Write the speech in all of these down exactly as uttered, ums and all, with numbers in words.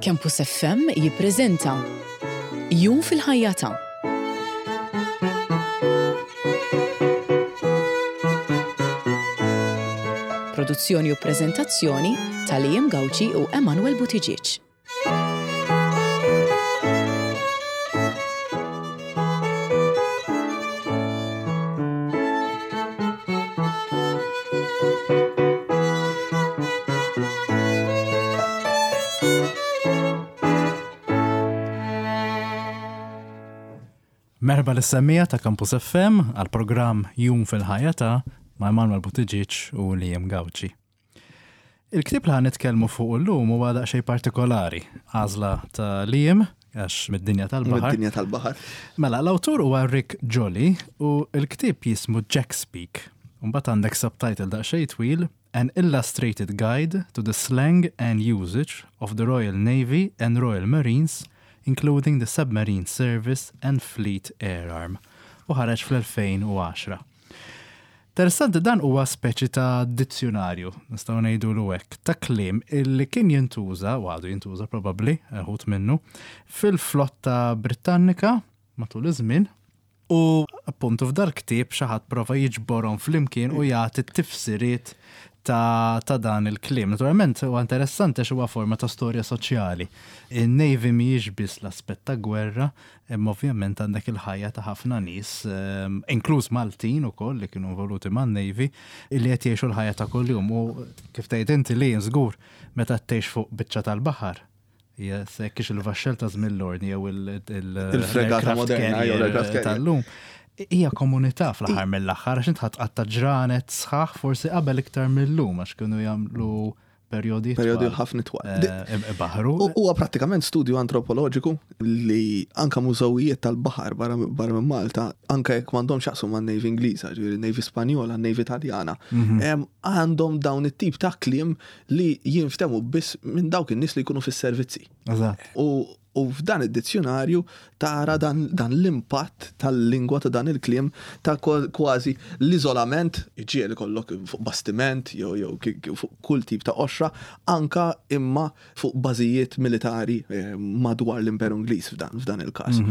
Campus F M jippreżenta Jum fil-ħajja ta' Produzzjoni u preżentazzjoni ta' Liam Gauci u Emanuel Buttigieg. Merħba lis-semmiegħa ta' Campus F M għal programm Jum fil-ħajja ta' ma' Emanuel Buttigieg u Liam Gauci. Il-ktieb li ħa nitkellmu fuq illum huwa daqsxejn partikolari, għażla ta' Liam, għax mid-dinja tal-baħar. Mid-dinja tal-baħar. Mela, l-awtur huwa Rick Jolly u l-ktieb jismu Jack Speak. Mbagħad għandek subtitle daqsxejn twil, An Illustrated Guide to the Slang and Usage of the Royal Navy and Royal Marines, including the Submarine Service and Fleet Air Arm. U ħareġ fl-elfejn u għaxra. Interessanti, dan huwa speċi ta' dizzjonarju, nistgħu ngħidu hekk, ta' kliem illi kien jintuża, u għadu jintuża probabbli, uħud minnu, fil-flotta Britannika matul iż-żmien. U appuntu f'dal ktieb xi ħadd prova jiġborhom flimkien u jagħti tifsiriet ta', ta' dan il-kliem. Naturalment huwa interessanti għax huwa forma ta' storja soċjali. In-Navy mhijiex biss l-aspett ta' gwerra, imma ovvjament għandek il-ħajja ta' ħafna nies, ehm, inkluż Maltin ukoll li kienu involuti man-Navy, illi qed jgħixu l-ħajja ta' kuljum. U kif tgħid inti li żgur meta tgħix fuq biċċa tal-baħar, jekk il-vaxxel ta' żmien l-ordni jew il-fregata il-aircraft moderna jew l-aircraft carrier carrier. tal-lum. Hija komunità fl-aħħar mill-aħħar, għax int ħadd qatta ġranet sħaħ, forsi qabel iktar mill-lum, għax kienu jagħmlu perjodi Perjodi twal. ħafna twal. Eh, Baħru. U- Huwa prattikament studju antropoloġiku li anka mużewijiet tal-baħar barra barra minn Malta, anka jekk m'għandhomx jaqsmu man Navy Ingliża, ġifieri Navy Spanjola, Navy Taljana, em, għandhom dawn it-tip ta' kliem li jinftemu biss minn dawk in-nies li jkunu fis-servizzi. Eżatt. U, u f'dan id-dizzjonarju tara dan, dan l-impatt tal-lingwa ta' dan il-kliem ta' kwa- kważi l-iżolament, ġieli kollok fuq bastiment jew jew ki- ki- fuq kull tip ta' qoxra, anka imma fuq bażijiet militari eh, madwar l-Imperu Ingliż f'dan, f'dan il-każ.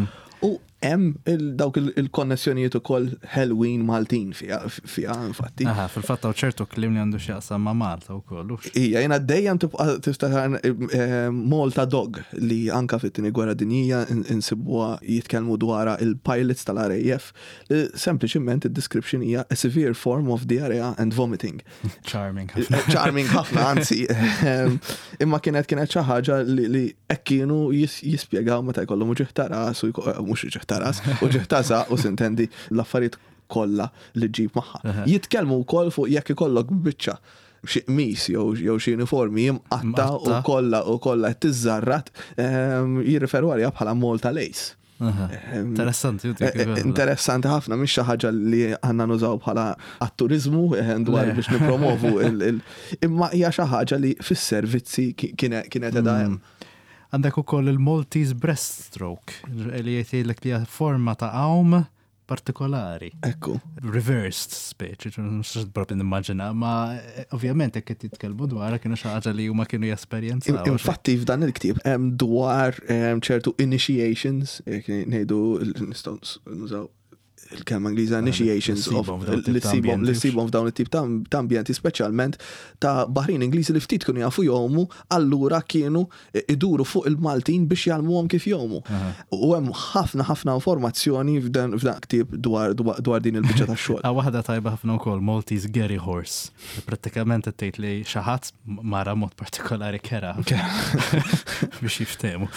U hemm il- dawk il- il-konnessjonijiet ukoll Halloween Maltin fiha fiha infatti. Aha, fil-fatt hawn ċertu kliem li għandu x'jaqsam ma' Malta wkoll. Hux? Ija, jena dejjem tibqa tiftakar eh, Malta Dog li anka fit-tieni gwerra dinjija in- insibuha jitkellmu dwar il-pilots tal-R A F li sempliċiment id-description hija a severe form of diarrhea and vomiting. Charming ħafna. Charming ħafna, anzi. Ehm, Imma kienet kienet xi ħaġa li li hekk kienu jis- jispjegaw meta jkollhom uġigħ ta' ras u jko- eh, mhux uġigħ ta' ras, uġigħ ta' żaqq u sintendi l-affarijiet kollha li ġib magħha. Jitkellmu wkoll fuq jekk ikollok biċċa xi qmis jew jew xi uniformi jimqatta u Mqatta. kollha u kollha qed tiżżarrat, ehm, jirriferu għaliha bħala Malta Lace. Aha. Interessanti, u dik Eh, eh, Interessanti ħafna, mhix xi ħaġa li għandna nużaw bħala għat-turizmu eh, dwar Le. biex nipromovu il- il- imma hija xi ħaġa li fis-servizzi ki- kienet kienet qiegħda hemm. Għandek ukoll il-Maltese breaststroke, li jgħidlek li hija forma ta' għawm partikolari. Ekku. Reversed speċi, mhux propri nimmaġina, ma eh, ovvjament jekk qed jitkellmu dwarha kienu xi ħaġa li huma kienu jesperjenzaw. Infatti f'dan il-ktieb hemm dwar em, ċertu initiations, jekk ngħidu nistgħu nużaw il-kelma Ingliża initiations li of ssibhom f'dawn it-tip li ta' ssibhom li ambjenti. ssibhom f'dawn it-tip ta' ta' ambjenti, speċjalment ta' baħrin Ingliżi li ftit kienu jafu jgħumu, allura kienu iduru fuq il-Maltin biex jgħallmuhom kif jgħumu. U hemm ħafna ħafna informazzjoni f'dan f'dan ktieb dwar dwar dwar din il-biċċa tax-xogħol. Ah, waħda tajba ħafna wkoll, Maltese Gary Horse. Prattikament qed tgħid li xi ħadd mara mod partikolari kera biex jiftehmu.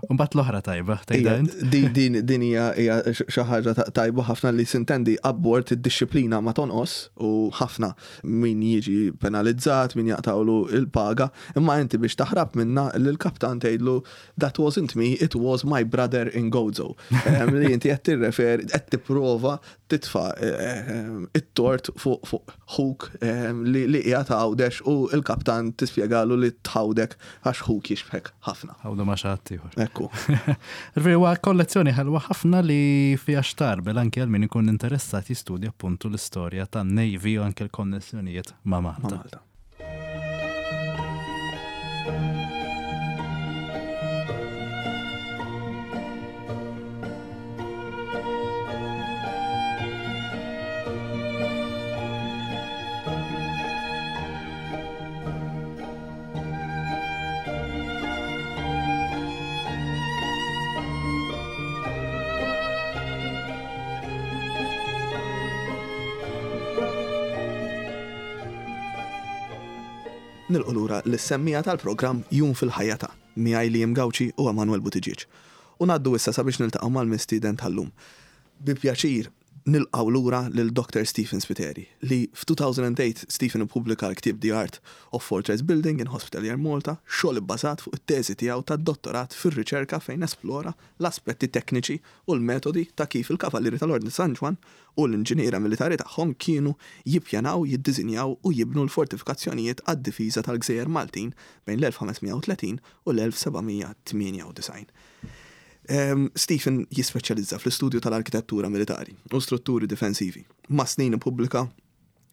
Mbagħad l-oħra tajba, tgħidha Ija, int? Din din din hija hija xi ħaġa ta- tajba ħafna li sintendi abbord id-dixxiplina ma tonqos u ħafna min jiġi penalizzat, min jaqtawlu il-paga, imma inti biex taħrab minna lill-kaptan tgħidlu, "That wasn't me, it was my brother in Gozo." Em, Li inti qed tirreferi, qed tipprova titfa' eh, it-tort fuq fuq ħuk em, li li qiegħed Għawdex u il-kaptan tispjegalu li tħawdek għax ħuk jixbħek ħafna. Ħawdu ma' xi ħadd ieħor. Ekku. Ġifieri huwa kollezzjoni ħelwa ħafna li fiha xtarbel anke għal min ikun interessat jistudja appuntu l-istorja tan-Navy u anke l-konnessjonijiet ma' Ma' Malta. Malta. Nilqgħu lura lis-semmiegħa tal-programm Jum fil-Ħajja ta' miegħi Liam Gauci u Emanuel Buttigieg. U ngħaddu issa sabiex niltaqgħu mal-mistieden tal-lum. Bi pjaċir nilqgħu lura lil Doctor Stephen Spiteri li f'elfejn u tmienja Stephen ippubblika l-ktieb The Art of Fortress Building in Hospitalier Malta, xogħol ibbażat fuq it-teżi tiegħu tad-dottorat fir-riċerka fejn esplora l-aspetti tekniċi u l-metodi ta' kif il-Kavallieri tal-Ordni San Ġwann u l-inġiniera militari tagħhom kienu jippjanaw, jiddiżinjaw u jibnu l-fortifikazzjonijiet għad-difiża tal-Gżejjer Maltin bejn l-elf ħames mija u tletin u l-elf seba' mija tmienja u disgħin. Um, Stephen jispeċjalizza fl-istudju tal-arkitettura militari u strutturi difensivi. Mas-snin ippubblika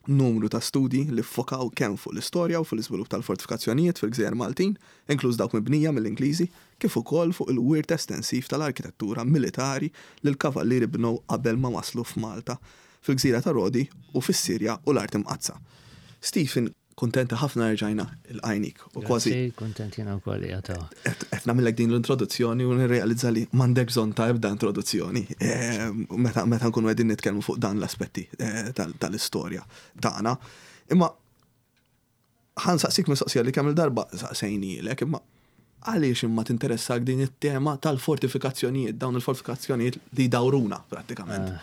numru ta' studji li ffokaw kemm fuq l-istorja u fuq l-iżvilupp tal-fortifikazzjonijiet fil-Gżejjer Maltin, inkluż dawk mibnija mill-Ingliżi, kif ukoll fuq il-wirt estensiv tal-arkitettura militari li l-kavallieri bnew qabel ma waslu f'Malta, fil-Gżira ta' Rodi u fis-Sirja u l-Art Imqaddsa. Stephen, kuntenti ħafna rġajna lqajnik u kważi Grazzi, kontent jiena wkoll jgħataw. qed nagħmellek din l-introduzzjoni u nirrealizza li m'għandek bżonn ta' ebda introduzzjoni eh, meta meta nkunu qegħdin nitkellmu fuq dan l-aspetti eh, tal- tal-istorja tagħna. Imma ħa nsaqsik mistoqsija li kemm il-darba saqsejnielek, imma għaliex imma tinteressak din it-tema tal-fortifikazzjonijiet, dawn il-fortifikazzjonijiet li dawruna prattikament?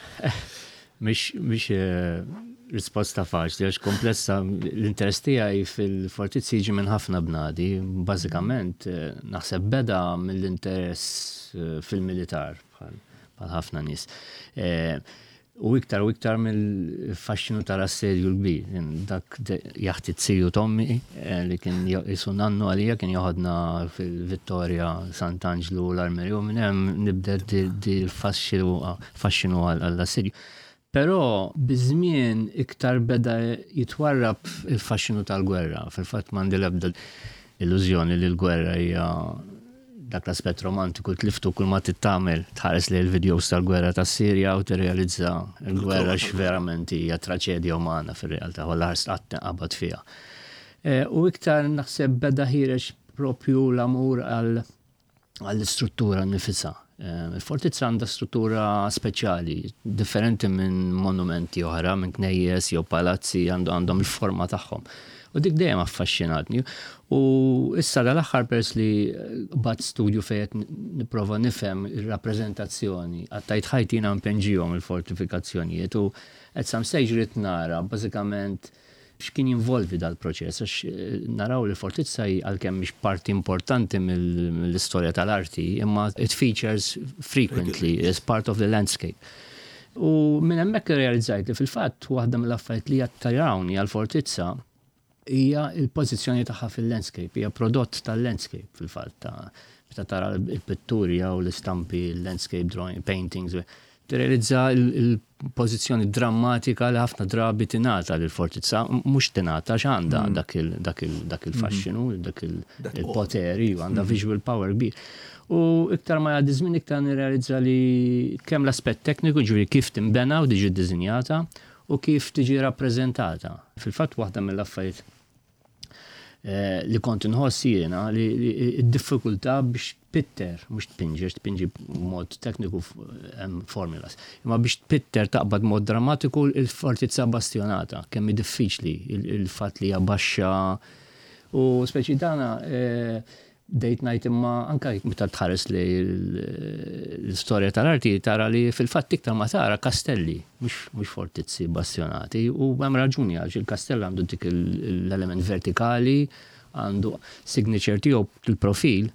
Mhix mhix eh, risposta faċli, għax komplessa. L-interess tiegħi fil-fortizzi jiġi minn ħafna bnadi. Bażikament eh, naħseb beda mill-interess eh, fil-militar bħal bħal ħafna nies. Eh, U iktar u iktar mill-faxxinu tal-assedju l-kbir. Dak jaħti z-ziju t'ommi li kien jisu nannu għalija, kien joħodna fil-Vittoria, Sant'Anġlu, l-Armerju, u minn hemm nibda di l-faxxinu għall-assedju. Però biż-żmien iktar beda jitwarrab il-faxxinu tal-gwerra. Fil-fatt m'għandi l-ebda illużjoni li l-gwerra hija dak l-aspett romantiku, tliftu. Kull ma tittamel tħares li l-videos tal-gwerra tas Sirja u tirrealizza l-gwerra x'verament hija traċedja umana fir-realtà, u l-ħars qatt qabad fiha. E, u iktar naħseb beda ħiereġ propju l-amur għall-istruttura nifisha. E, il-fortizza għandha struttura speċjali, differenti minn monumenti oħra, minn knejjes jew palazzi, għandhom il-forma tagħhom. U dik dejjem affaxxinatni. U issa dal-aħħar, pers li bat studju fejn nipprova nifhem ir-rappreżentazzjoni, għattajt ħajti jiena npinġihom il-fortifikazzjonijiet u at some stage rrid nara bażikament x'kien jinvolvi dal-proċess, għax eh, naraw li fortizza għalkemm mhix parti importanti mill-istorja tal-arti, imma it features frequently as part of the landscape. U minn hemmhekk realizzajt li fil-fatt waħda mill-affarijiet li jattirawni għal-fortizza hija il-pożizzjoni tagħha fil-landscape, hija prodott tal-landscape fil-fatt, ta' meta tara il-pitturi jew l-istampi, l-landscape drawing, paintings, tirrealizza il-pożizzjoni drammatika li ħafna drabi tingħata lil fortizza, mhux tingħata x'għandha mm. dak il-faxxinu, dak il-poteri, għandha mm. visual power kbir. U iktar ma jgħaddi żmien iktar nirrealizza li kemm l-aspett tekniku, ġifieri kif tinbena u tiġi ddisinjata u kif tiġi rappreżentata. Fil-fatt waħda mill-affarijiet eh, li kont nħoss jiena li d-diffikultà biex tpitter, mhux tpinġi, tpinġi mod tekniku hemm formulas, imma biex tpitter, taqbad mod drammatiku il-fortizza bastionata, kemm diffiċli il-fatt li baxxa u speċi dana eh, dejt ngħid, imma anka meta tħares li l-istorja tal-arti tara li fil-fatt iktar ma tara kastelli, mhux fortizzi bastionati, u hemm raġuni, għax il-kastell għandu dik l-element vertikali, għandu signature tiegħu, il-profil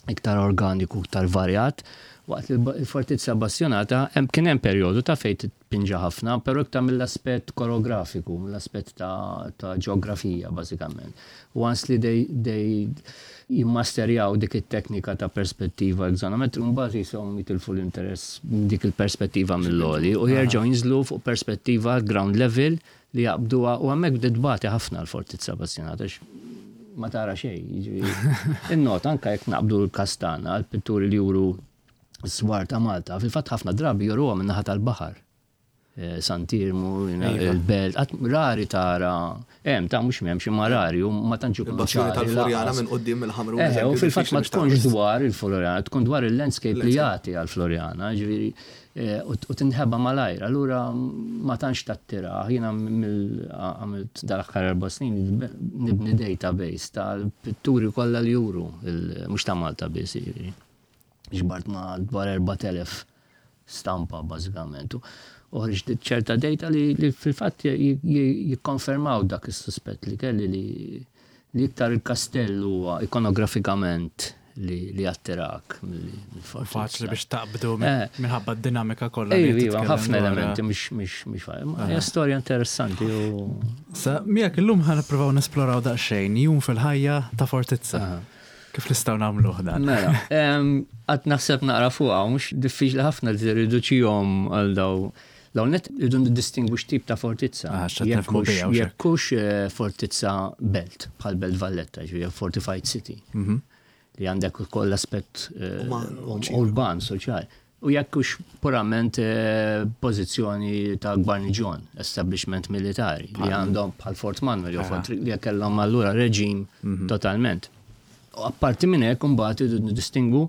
iktar organiku, iktar varjat, waqt li l-fortizza bastionata kien hemm perjodu ta' fejn tpinġa ħafna, però iktar mill-aspett koreografiku, mill-aspett ta' ġeografija bażikament. Once li they, they jimmasterjaw dik it-teknika ta' perspettiva axonometri, mbagħad jisom jitilfu l-interess dik il-perspettiva mill-għoli u jerġgħu jinżlu fuq perspettiva ground level li jaqbduha, u hemmhekk bdiet tbati ħafna l-fortizza bastionata, ma tara xejn. In-not anka jekk naqbdu l-kastana, l-pitturi li juru s-swar ta' Malta, fil-fatt ħafna drabi juruha minn naħa tal-baħar. eh, Sant'Iermu, Iva. il-Belt, għat rari tara, hemm ta' mhux m'hemmx imma rari u ma tantx ikunu Il-bassjoni ċari tal-Floriana lanqas. minn quddiem il-Ħamrun. Eh, u eżempju, fil-fatt ma diffiċli biex tkunx taqbes. dwar il-Floriana, tkun dwar il-landscape li jagħti għal-Floriana, ġifieri, eh, u u tinħeba malajr. Allura ma tantx tattira. Jiena mill għamilt dal-aħħar erba' snin nibni database tal-pitturi kollha li juru, il- mhux ta' Malta biss, ġifieri. Ġbart ma dwar erbat elef stampa bażikament. U ħriġt ċerta data li, li fil-fatt jikkonfermaw dak is-suspett li kelli li li iktar il-kastell huwa ikonografikament li, li attirak mill-fortizza. Faċli biex taqbdu Eh. minħabba d-dinamika kollha li Ejju, iva, titkellem ħafna dwarha. elementi, mhux mhux mhux ma hija storja interessanti u Sa miegħek illum ħa nippruvaw nesploraw daqsxejn jum fil-ħajja ta' fortizza. Kif nistgħu nagħmluh dan? Mela, em, għad naħseb naqra fuqha, mhux diffiċli ħafna li tirriduċihom għal daw. L net irridu nidistingwu x'tip ta' fortizza. Ah, x'qed nifhmu Jekk hux- biha u x'hekk. Jekk hux eh, fortizza belt, bħal Belt Valletta, ġifieri fortified city. Mhm. Li għandek ukoll aspett eh, Uman, urban, soċjali. U jekk hux purament eh, pożizzjoni ta' gwarniġjon, establishment militari, li għandhom bħal Fort Manuel jew Fort li kellhom allura reġim totalment. U apparti minn hekk imbagħad irridu nidistingwu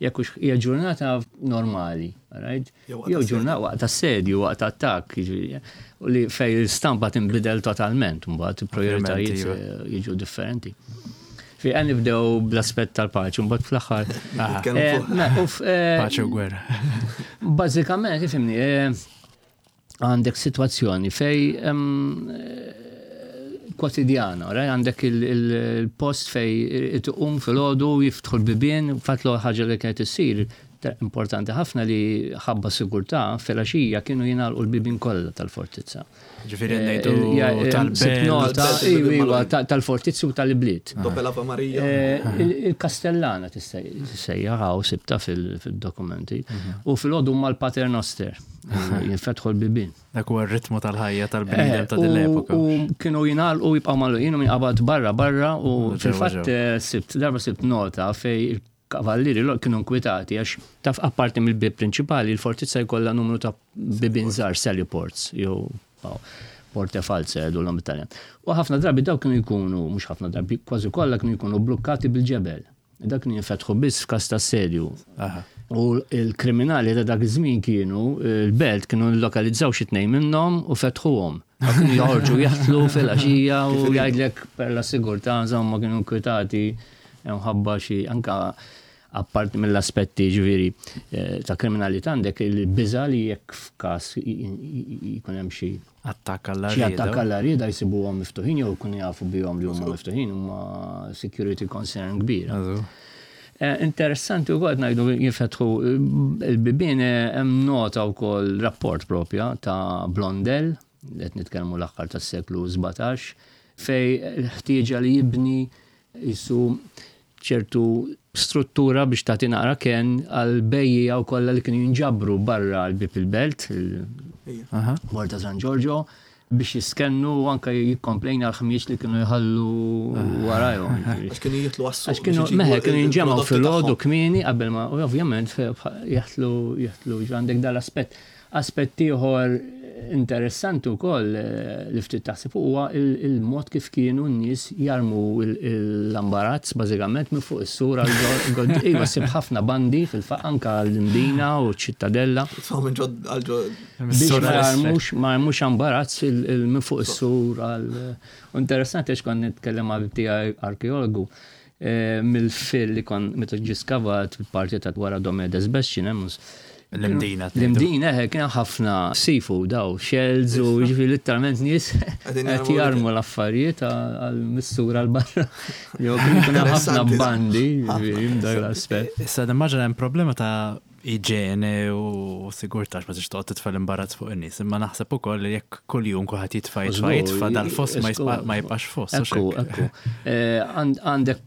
jekk hux hija ġurnata normali, right? Jew waqt Jew assedju. ġurnata waqt assedju, waqt attakk, jiġifieri, u li fej l-istampa tinbidel totalment, mbagħad il-prioritajiet iva. eh, jiġu differenti. Fi għan nibdew bl-aspett tal-paċi, mbagħad fl-aħħar. Nitkellmu Eh, fuq- me, u f- eh, Paċi u gwerra. Bażikament, ifhimni, eh, għandek situazzjoni fej em, eh, kwotidjana, right? Għandek il- il- il-post fej tqum filgħodu jiftħu l-bibien, fatt l ħaġa li kienet issir ta- importanti ħafna li ħabba sigurtà filgħaxija kienu jingħalqu l-bibien kollha tal-fortizza. Ġifieri Eh, ngħidu il- ja, eh, tal-belt. sibt nota, Tal-belt, iva, il-bibien iva, magħluqin. ta- tal-fortizzi u tal-bliet. Dope l'Ave Maria. Eh, il- Il-Kastellana tissejjaħ hawn sibta fil- fil-dokumenti. U filgħodu mal-Paternoster jinfetħu l-bibien. Dak huwa r-ritmu tal-ħajja tal-bniedem ta' Eh, din u- l-epoka. U kienu jingħalqu jibqgħu magħluqin u minqabad barra barra u Ġewwa, fil-fatt ġewwa. eh, sibt darba sibt nota fej il-kavallieri lo kienu nkwitati għax taf apparti mill-bib prinċipali il-fortizza jkollha numru ta' bibien żgħar sally ports jew aw, porte false jgħidu l Italjan. U ħafna drabi daw kienu jkunu, mhux ħafna drabi, kważi kollha kienu jkunu blukkati bil-ġebel. Dak kienu jinfetħu biss f'każ ta' assedju. Aha. U il-kriminali ta' dak iż-żmien kienu, il-belt kienu lokalizzaw xi tnejn minnhom u fetħuhom. Kienu joħorġu jaħtlu fil-għaxija u jgħidlek per la sigurtà, insomma kienu nkwitati mħabba xi anka apparti mill-aspetti ġifieri eh, ta' kriminalità għandek il-biża li jekk f'każ jkun hemm xi Attakk għall xi attakk għall rieda jsibuhom miftuħin jew jkunu jafu bihom li huma miftuħin huma security concern kbira. Eh, Interessanti u kol ngħidu jinfetħu il-bibien eh, hemm nota wkoll rapport propja ta' Blondel, li qed nitkellmu l-aħħar tas-seklu sbatax, fej l-ħtieġa li jibni jisu ċertu struttura biex tagħti naqra ken għal bejjiegħa u kollha li kienu jinġabru barra l-bib il-belt, il-Porta San Giorgio, biex jiskennu u anka jikkomplejn għal ħmieġ li kienu jħallu warajhom. Għax kienu jitlu għas-suq. Għax kienu, meħe, kienu jinġemgħu filgħodu kmieni qabel ma, u ovvjament jaħtlu, jaħtlu, għandek dal-aspett. Aspett ieħor interessanti wkoll eh, li ftit taħseb huwa il-mod kif kienu n-nies jarmu l-ambarazz bażikament minn fuq is-sura Iva sib ħafna bandi fil-faq anka l-Imdina u ċ-Ċittadella. minn ġod għal ġod. Biex ma jarmux ma jarmux ambarazz minn fuq is-sur għal. Interessanti għax kont nitkellem ma' tiegħi arkeologu eh, mill-fil li kon meta ġie skavat fil-parti ta' wara Domedes Besċin, L-Imdina. L-Imdina, eh, kien ħafna seafood daw, shells u ġifieri literalment nies qed jarmu l-affarijiet għal-missura l-barra. Jew kien ħafna bandi, ġifieri dak l-aspett. Issa nimmaġina hemm problema ta' iġene u sigurtà ma tix toqgħod titfa' l-imbarazz fuq in-nies, imma naħseb ukoll li jekk kuljum kulħadd jitfa' jitfa' jitfa' dal-foss ma jibqax foss. Ekku, ekku. Eh, Għandek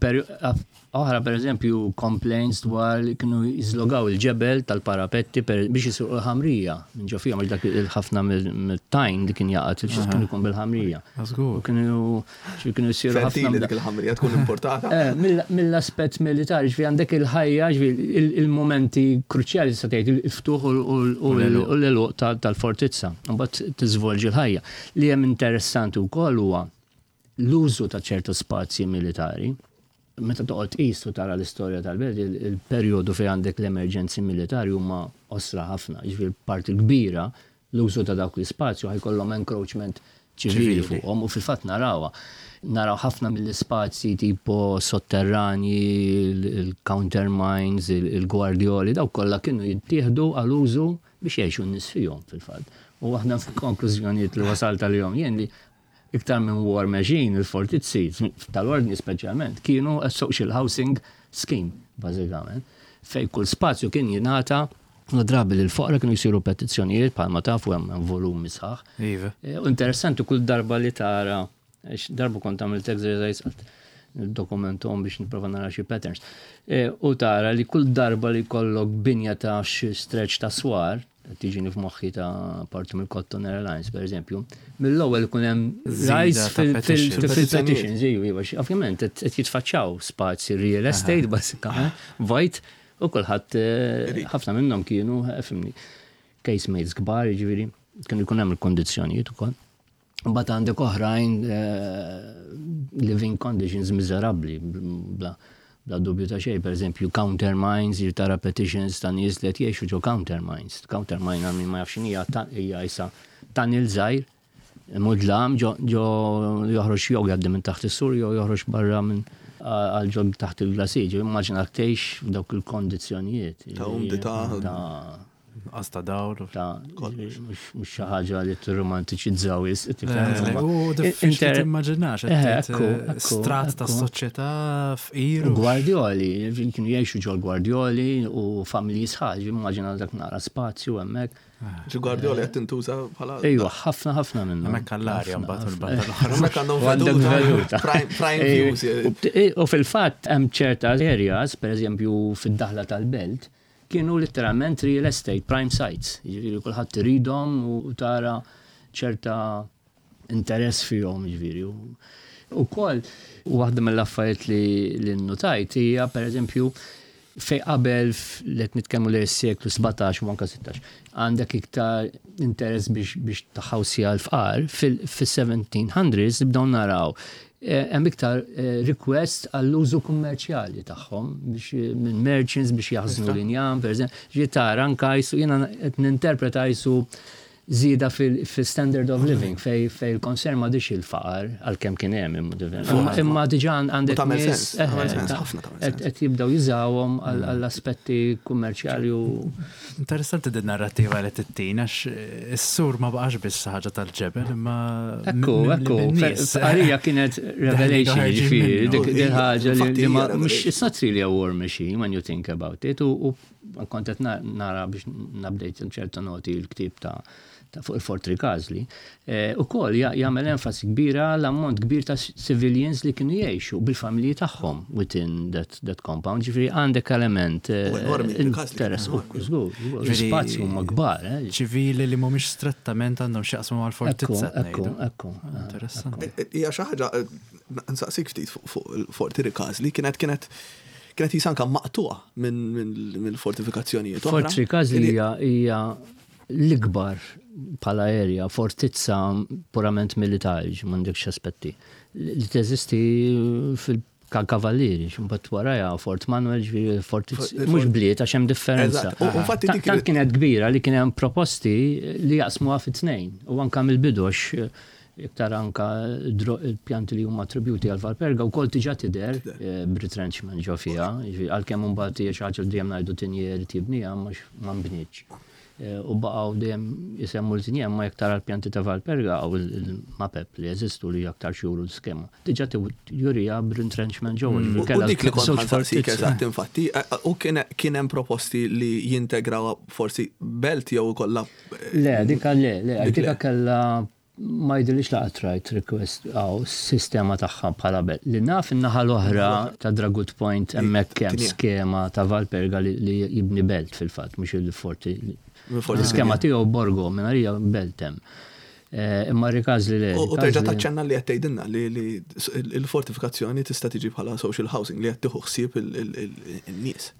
Oħra, per eżempju, complaints dwar li kienu jiżlogaw il-ġebel tal-parapetti per- biex jisirqu l-ħamrija. Minn ġo fija, mhux dak il-ħafna mill-tajn li kien jaqgħad, kienu jkun bil-ħamrija. Żgur. U kienu xi kienu jsiru ħafna Fertili dik il-ħamrija tkun importata. Eh, mill- Mill-aspett militari, ġifieri għandek il-ħajja, ġifieri il- il-momenti kruċjali sa tgħid il-ftuħ u u l-għeluq tal-fortizza. Mbagħad tiżvolġi l-ħajja. Li hemm interessanti wkoll huwa l-użu ta' ċertu spazji militari. Meta toqgħod tqis u tara l-istorja tal-belt, il- il-perjodu fejn għandek l-emerġenzi militari huma qosra ħafna. Ġifieri parti kbira l-użu ta' dawk l-ispazju ħa jkollhom encroachment ċivili fuqhom u fil-fatt narawha. Naraw ħafna mill-ispazji tipo sotterrani, il-countermines, il-gwardjoli, daw kollha kienu jittieħdu għal użu biex jgħixu n-nies fihom fil-fatt. U waħda fil-konklużjonijiet li wasalt għalihom jien li iktar minn war machine, il-fortizzi tal-ordni speċjalment, kienu a social housing scheme, bażikament, fej kull spazju kien jingħata u drabi li l-foqra kienu jsiru petizzjonijiet bħalma tafu hemm volumi sħaħ. Iva. Eh, U interessanti kull darba li tara, għax darba kont għamilt exercise għalt dokumentom biex nipprova nara xi patterns. Eh, U tara li kull darba li kollok binja ta' xi stretch ta' swar, tiġini f'moħħi ta' parti mill-Cotton Airlines, per eżempju, mill-ewwel ikun hemm Żieda rise ta' fil- petitions. fil- fil-petitions, iju, iva, xi- ovvjament qed qed jitfaċċaw spazji real estate basikament, vojt, u kulħadd eh, ħafna minnhom kienu, eh, fimni, casemates kbar, jiġifieri, kienu jkun hemm il-kondizzjonijiet ukoll. Mbagħad għandek oħrajn eh, living conditions miżerabbli, bla bla dubju ta' xejn, per eżempju countermines, tara petitions ta' nies li qed jgħixu ġo countermines. Countermine għal min ma jafx x'inhi hija ta- hija isa tunnel żgħir, mudlam ġo ġo joħroġ jew jgħaddi minn taħt is-sur jew joħroġ barra minn għal ġo taħt il-glasiġ. Immaġina tgħix f'dawk il-kondizzjonijiet. Ta' umdità. Ta' Nuqqas ta' dawl. ta' mhux mhux xi ħaġa li tirromantiċizzaw is. U diffiċli timmaġinax, Eh, ekku, ekku, strat ta' ekku. soċjetà fqir. U Gwardjoli, kienu jgħixu ġol Gwardjoli u familji sħaġ, immaġina dak nara spazju hemmhekk. Ġi Guardiola qed tintuża bħala. Ejwa, ħafna ħafna minnhom. Hemmhekk għall-arja Ħafna, mbagħad ħafna. il-banda l-oħra. Hemmhekk għandhom U għandek veduta. veduta. Prime prime Eh, views. u bт- eh, U fil-fatt hemm ċerta areas, per eżempju fid-daħla tal-belt, kienu letteralment real estate, prime sites. Jiġifieri kulħadd iridhom u tara ċerta interess fihom, jiġifieri. U- U koll, waħda mill-affarijiet li li nnotajt hija per eżempju fej qabel f- li qed nitkellmu li s-seklu sbatax u anka sittax, għandek iktar interess biex biex taħawsija l-fqar, fil-seventeen hundreds nibdew naraw eh, hemm iktar eh, request għall-użu kummerċjali tagħhom biex eh, minn merchants biex jaħżnu l-injam, per eżempju, ġi tara anka jisu jiena qed ninterpreta jisu żieda fil-standard of living fej fej il-concern ma dix il-faqar għalkemm kien hemm imma imma- imma diġà għandek U tagħmel nies, sens, eh, tagħmel sens, ta' ħafna tagħmel qed sens. qed jibdew jużawhom għall- għall-aspetti kummerċjali u Interessanti din narrativa li tittina, għax is-sur ma baqax biss ħaġa tal-ġebel, imma Ekku, mimli ekku, bin-nies. għalija kienet revelation, Ħarġin ġifieri, minnu. dik dik ħaġa li Infatti li ma, hija mhux, revelation. it's not really a war machine when you think about it, u u kont qed na- nara biex nabdejt ċerta noti l-ktib ta' ta' fuq il-Fort Ricasoli, u koll jagħmel enfasi kbira l-ammont kbir ta' civilians li kienu jgħixu bil-familji tagħhom within that, that compound, ġifieri għandek element eh, U enormi, Ricasoli kien interess, u enormi. żgur, żgur, Ġifieri- l-spazju huma kbar, eh, ċivili li mhumiex strettament għandhom x'jaqsmu mal-fortizza. Ekku, ngħidu. ekku, ekku. Interessanti. Hija xi ħaġa eh, nsaqsik ftit fuq fuq il-Forti Ricasoli kienet kienet kienet jisanka maqtuqa minn minn mill-fortifikazzjonijiet oħra. Fort Ricasoli hija hija l-ikbar bħala area, fortizza purament militari, m'għandekx aspetti, li teżisti fil-Kavallieri, mbagħad warajha Fort Manuel, ġifieri fortizza, Fort- mhux bliet għax hemm differenza. Eżatt, u- u infatti Ta- dik Tant kienet kbira li kien hemm proposti li jaqsmuha fi tnejn u anka mill-bidu għax iktar anka dro- il-pjanti li huma attributi għal Valperga u kol diġà tidher eh, b'retrenchment ġo fiha, ġifieri għalkemm imbagħad hija xi ħaġa li dejjem ngħidu Teniers tibniha mhux ma nbnietx. Eh, U baqgħu dejjem jisemmu l-Teniers ma jekk tara l-pjanti ta' Valperga u l-mapep li jeżistu li aktar xuru l-skema. Diġà jurija b'retrenchment ġewwa. ġifieri U kellha dik li kont żewġ ħa nsaqsik fortizzi. eżatt infatti, eh, u kien kien hemm proposti li jintegraw forsi belt jew kollha Le, dika le, le, Dik dika le. kella Ma jidhirlix la rajt request għaw sistema tagħha bħala belt. Li naf in-naħa l-oħra ta' Dragut Point, hemmhekk hemm skema ta' Valperga li jibni belt fil-fatt, mhux il-forti. L-iskema tiegħu Borgo minn belt hemm. Eh, imma Rikażli le. U terġa' taċċenna li qed tgħidilna li l-fortifikazzjoni tista' tiġi bħala social housing li qed tieħu ħsieb in-nies.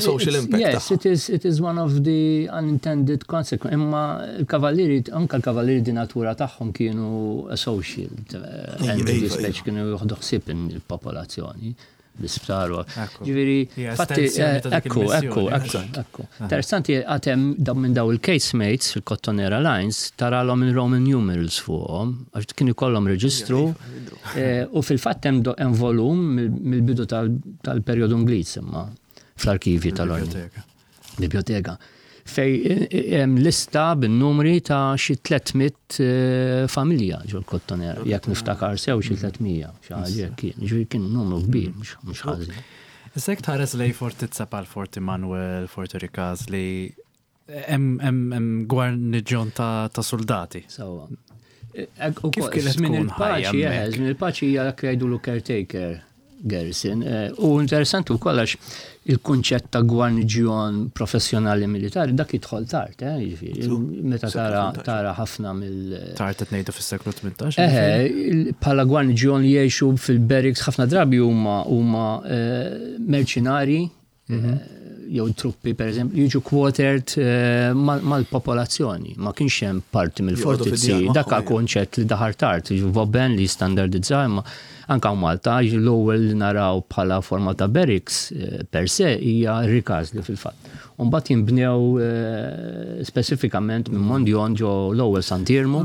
Social impact. Yes, it is, it is one of the unintended consequences. Imma il-kavallieri, anka l-kavallieri di natura tagħhom kienu social. Speċi kienu jieħdu ħsieb il-popolazzjoni l-isptar. Ġifieri, fatti, ekku, ekku, ekku, ekku. Interessanti, għad hemm minn daw il-casemates fil-Cottonera Lines, taralhom il-Roman numerals fuqhom, għax kienu kollhom reġistru, eh, u fil-fatt hemm volum mill-bidu tal-perjodu Ingliż imma fl-arkivi tal-Ordni. Biblioteka. Fej hemm lista bin-numri ta' xi tliet mitt eh, familja ġol Kottonera, jekk niftakar sew xi tliet mija, xi ħaġa kien, ġifieri kien numru kbir, mhux ħażin. Issa jekk tħares lej fortizza bħal Forti Manuel, Forti Rikażli, hemm gwarniġjon ta' soldati. Sewwa. Kif kienet tkun il-paċi? Żmien il-paċi hija dak li jgħidulu caretaker garrison. Eh, u interessanti wkoll għax il-kunċett ta' gwarniġjon professjonali militari dak jidħol tard, eh, jiġifieri, meta tara tara ħafna mill Tard qed ngħidu fis-seklu tmintax. Eh, bħala gwarniġjon li jgħixu fil-barracks ħafna drabi huma huma eh, merċinari mhm. jew truppi, per eżempju, jiġu quartered mal-popolazzjoni. Ma kienx hemm parti mill-fortizzi. Dak konċett li daħal tard, Vauban li standardizza, imma anka Malta l-ewwel li naraw bħala forma ta' barracks eh, per se hija Rikażli fil-fatt. Mbagħad jinbnew eh, speċifikament minn Mondion ġo l-ewwel Sant'Iermu,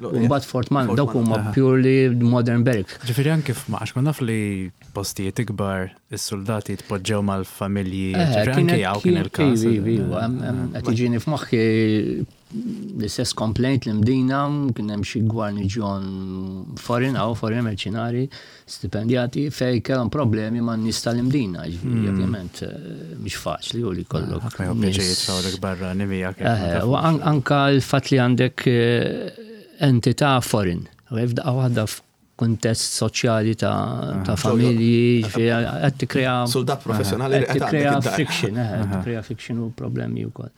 u mbagħad Fort Man, dawk huma purely modern barracks. Ġifieri anke f'Max kont naf li postijiet ikbar is-soldati jitpoġġew mal-familji, eh, ġifieri anke hawn kien il-każ. Qed jiġini f'moħħi l-istess complaint li Mdina kien hemm xi gwarniġjon foreign għaw foreign merċinari stipendjati fej kellhom problemi ma' nies tal-Imdina. Ġifieri, hmm. ovvjament eh, mhix faċli u li kollok. Ħadd ma jħobb jitfgħulek barra nimija. Eh, u anka l-fatt li għandek eh, entità foreign. F'daqqa waħda f'kuntest soċjali ta' familji, qed tikkrea Soldat professjonali. Qed tikkrea friction, qed tikkrea friction u problemi wkoll.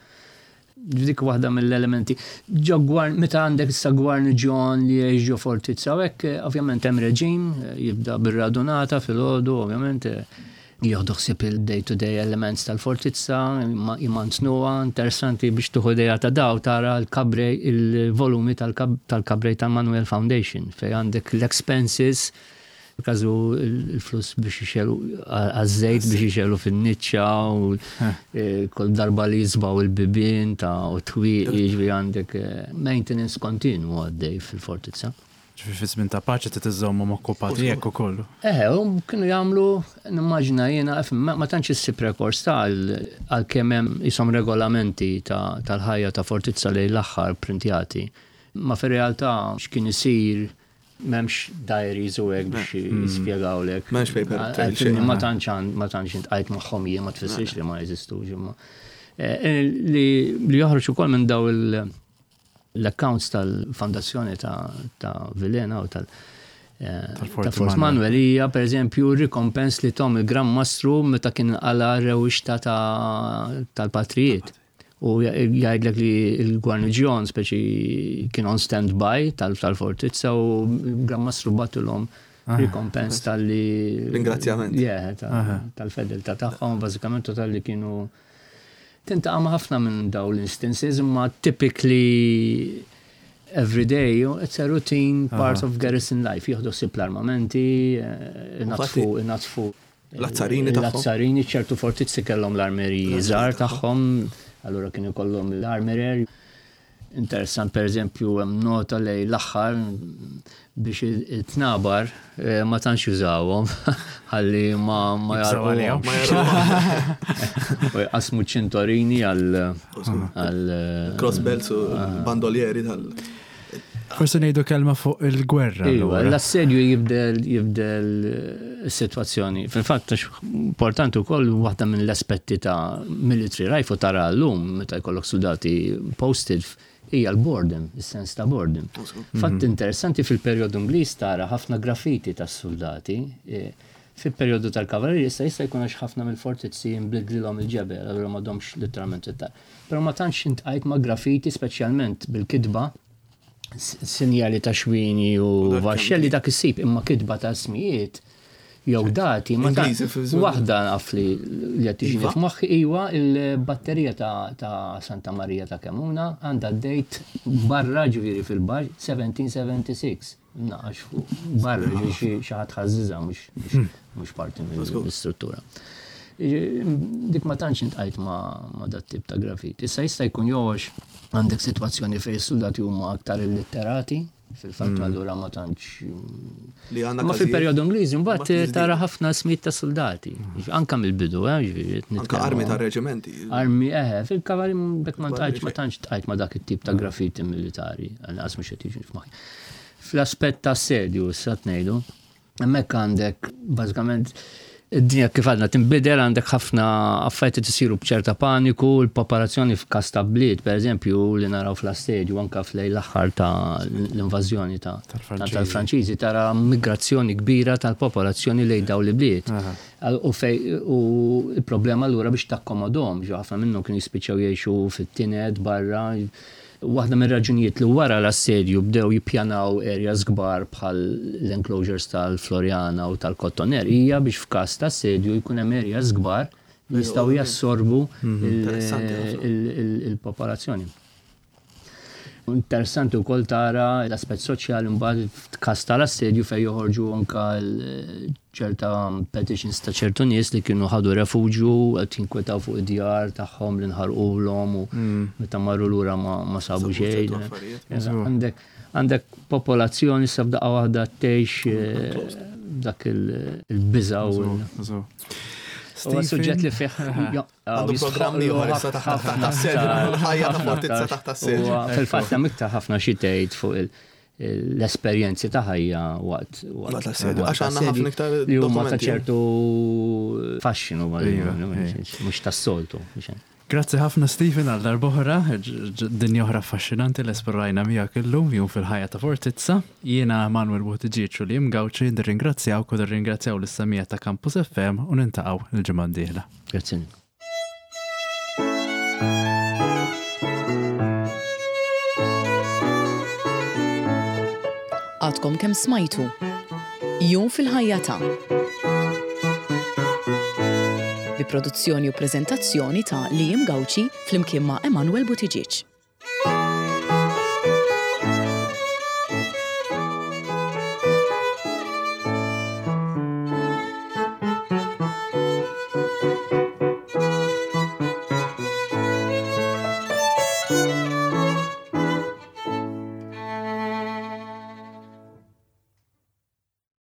Dik waħda mill-elementi. Ġo gwar, meta għandek issa gwarniġjon li jgħix ġo fortizza, u hekk, ovvjament hemm reġim, jibda bir-radunata fil-għodu, ovvjament jieħdu ħsieb il-day-to-day elements tal-fortizza, jmantnuha. Interessanti biex tieħu idea ta' daw tara l-kabrej, il-volumi tal-kabrej tal-Manuel Foundation, fej għandek l-expenses, każu il-flus biex jixegħlu għaż-żejt biex jixegħlu fin-niċċa u eh, kull darba li jisbaw il-bibien ta' u twieqi, jiġifieri għandek eh, maintenance kontinu għaddej fil-fortizza. Ġifieri fi żmien ta' paċi trid iżżommhom okkupati hekk ukoll. Eh, u kienu jagħmlu, nimmaġina jiena, ma ma tantx issib rekors ta' għal kemm hemm jisom regolamenti tal-ħajja ta' fortizza li l-aħħar printjati. Ma fir-realtà x'kien isir, m'hemmx diaries u hekk biex jispjegawlek. M'hemmx paper trail xejn. Ma tantx ma tantx intqajt magħhom jien, ma tfissirx li ma jeżistux imma. Eh, Li li joħroġ ukoll minn daw il- l-accounts tal-fondazzjoni ta' ta' Villena u tal- eh, Tal-Fort ta' Fort Manuel. Manuel hija per eżempju rikompens li tahom il-Gran Mastru meta kien għala rewixta ta' tal-patrijiet. U jgħidlek li il-gwarniġjon speċi kien on stand-by tal-fortizza u il-Gran Mastru bagħtilhom rikompens tal-li. Ringrazzjament. Yeah, ta- tal-fedeltà tagħhom, bażikament, u tal-li kienu tintaqa' ma' ħafna minn daw l-instances, imma typically every day it's a routine part of garrison life. Jieħdu ħsieb l-armamenti, eh, inatfu, inatfu L-azzarini tagħhom. L-azzarini, ċertu fortizzi kellhom l-armeriji żgħar tagħhom, allura kienu jkollhom l-armerer. Interessant, per eżempju, hemm nota lej l-aħħar biex it-tnabar eh, ma tantx jużawhom ħalli ma ma Jibżgħu għalihom. jarquhom. U jqasmu ċintorini għal għal Cross belts u bandolieri tal. Forsi ngħidu kelma fuq il-gwerra. Iva, allura. l-assedju jibdel jibdel eh, is-sitwazzjoni. Fil-fatt, għax importanti wkoll waħda minn l-aspetti ta' military life u tara llum meta jkollok soldati posted hija l-boredom, is-sens ta' boredom. Fatt interessanti, fil-perjodu Ingliż tara ħafna graffiti tas-soldati. E, fil-perjodu tal-kavallieri issa jista' jkun għax ħafna mill-fortizzi nbidlilhom il-ġebel, allura m'għadhomx literalment it. Però ma tantx iltqajt ma' graffiti, speċjalment bil-kitba, sinjali ta' xwini u vaxxelli dak issib, imma kitba ta' ismijiet jew dati ma ta' waħda naf li li qed tiġini iva. f'moħħi iwa il-batterija ta' Santa Maria ta' Kemuna għandha date barra, ġifieri fil-baġ seventeen seventy-six. Naqax fuq barra, ġifieri xi ħadd ħażżiżha, mhux parti mill-istruttura. Dik ma tantx iltqajt ma dat tip ta' graffiti. Issa jista' jkun jew għandek sitwazzjoni fejn is-soldati huma aktar illitterati, fil-fatt mm. allura ma tantx. Li għandna Ma fil-perjodu Ingliżi mbagħad tara ħafna ismijiet ta' soldati. Anka mill-bidu, eh, ġifieri. Anka armi ta' reġimenti. Armi, eħe, fil-kavalli bekk ma tantx ma tantx iltqajt ma dak it-tip ta' graffiti militari, għal mhux qed jiġi f'moħħi. Fl-aspett ta' assedju, issa ngħidu, hemmhekk għandek bażikament id-dinja kif għadna tinbidel, għandek ħafna affarijiet isiru b'ċerta paniku, l-popolazzjoni f'każ ta' bliet, per eżempju, li naraw fl-assedju, anka f'lejn l-aħħar ta' l-invażjoni ta' tal-Franċiżi, tara migrazzjoni kbira tal-popolazzjoni lejn dawn l-ibliet. U fej u il-problema allura biex takkomodhom, ġo ħafna minnhom kienu jispiċċaw jgħixu fit-tined barra. Waħda mir raġunijiet li wara l-assedju bdew jippjanaw areas kbar bħal l-enclosures tal-Floriana u tal-Kottoner hija biex f'każ ta' assedju jkun hemm areas kbar li jistgħu jassorbu il-popolazzjoni. Interessanti wkoll tara l-aspett soċjali mbagħad f'każ tal-assedju fejn joħorġu anka ċerta petitions ta' ċertu nies li kienu ħadu refuġju, qed jinkwetaw fuq id-djar tagħhom li nħarqulhom u meta marru lura ma sabu xejn. Għandek għandek popolazzjoni sa f'daqqa waħda tgħix eh, dak il-biża' u Huwa suġġett li fih Għandu programm ieħor issa taħt assedju, l-ħajja ta' fortizza taħt assedju. Fil-fatt hemm iktar ħafna xi tgħid fuq l-esperjenzi ta' ħajja waqt waqt l-assedju. Għax għandna ħafna iktar li huma ta' ċertu fascinu, mhux tas-soltu. Grazzi ħafna, Stephen, għal darb'oħra, dinja oħra affaxxinanti li esplorajna miegħek illum, jum fil-ħajja ta' Fortizza. Jiena Manuel Buttigieg u Liam Gauci nirringrazzjaw u nirringrazzjaw lis-semmiegħa ta' Campus F M u niltaqgħu il-ġimgħa d-dieħla. Grazzi. Għadkom kemm smajtu Jum fil-ħajja ta' bi produzzjoni u prezentazzjoni ta' Liam Gauci flimkien ma' Emanuel Buttigieg.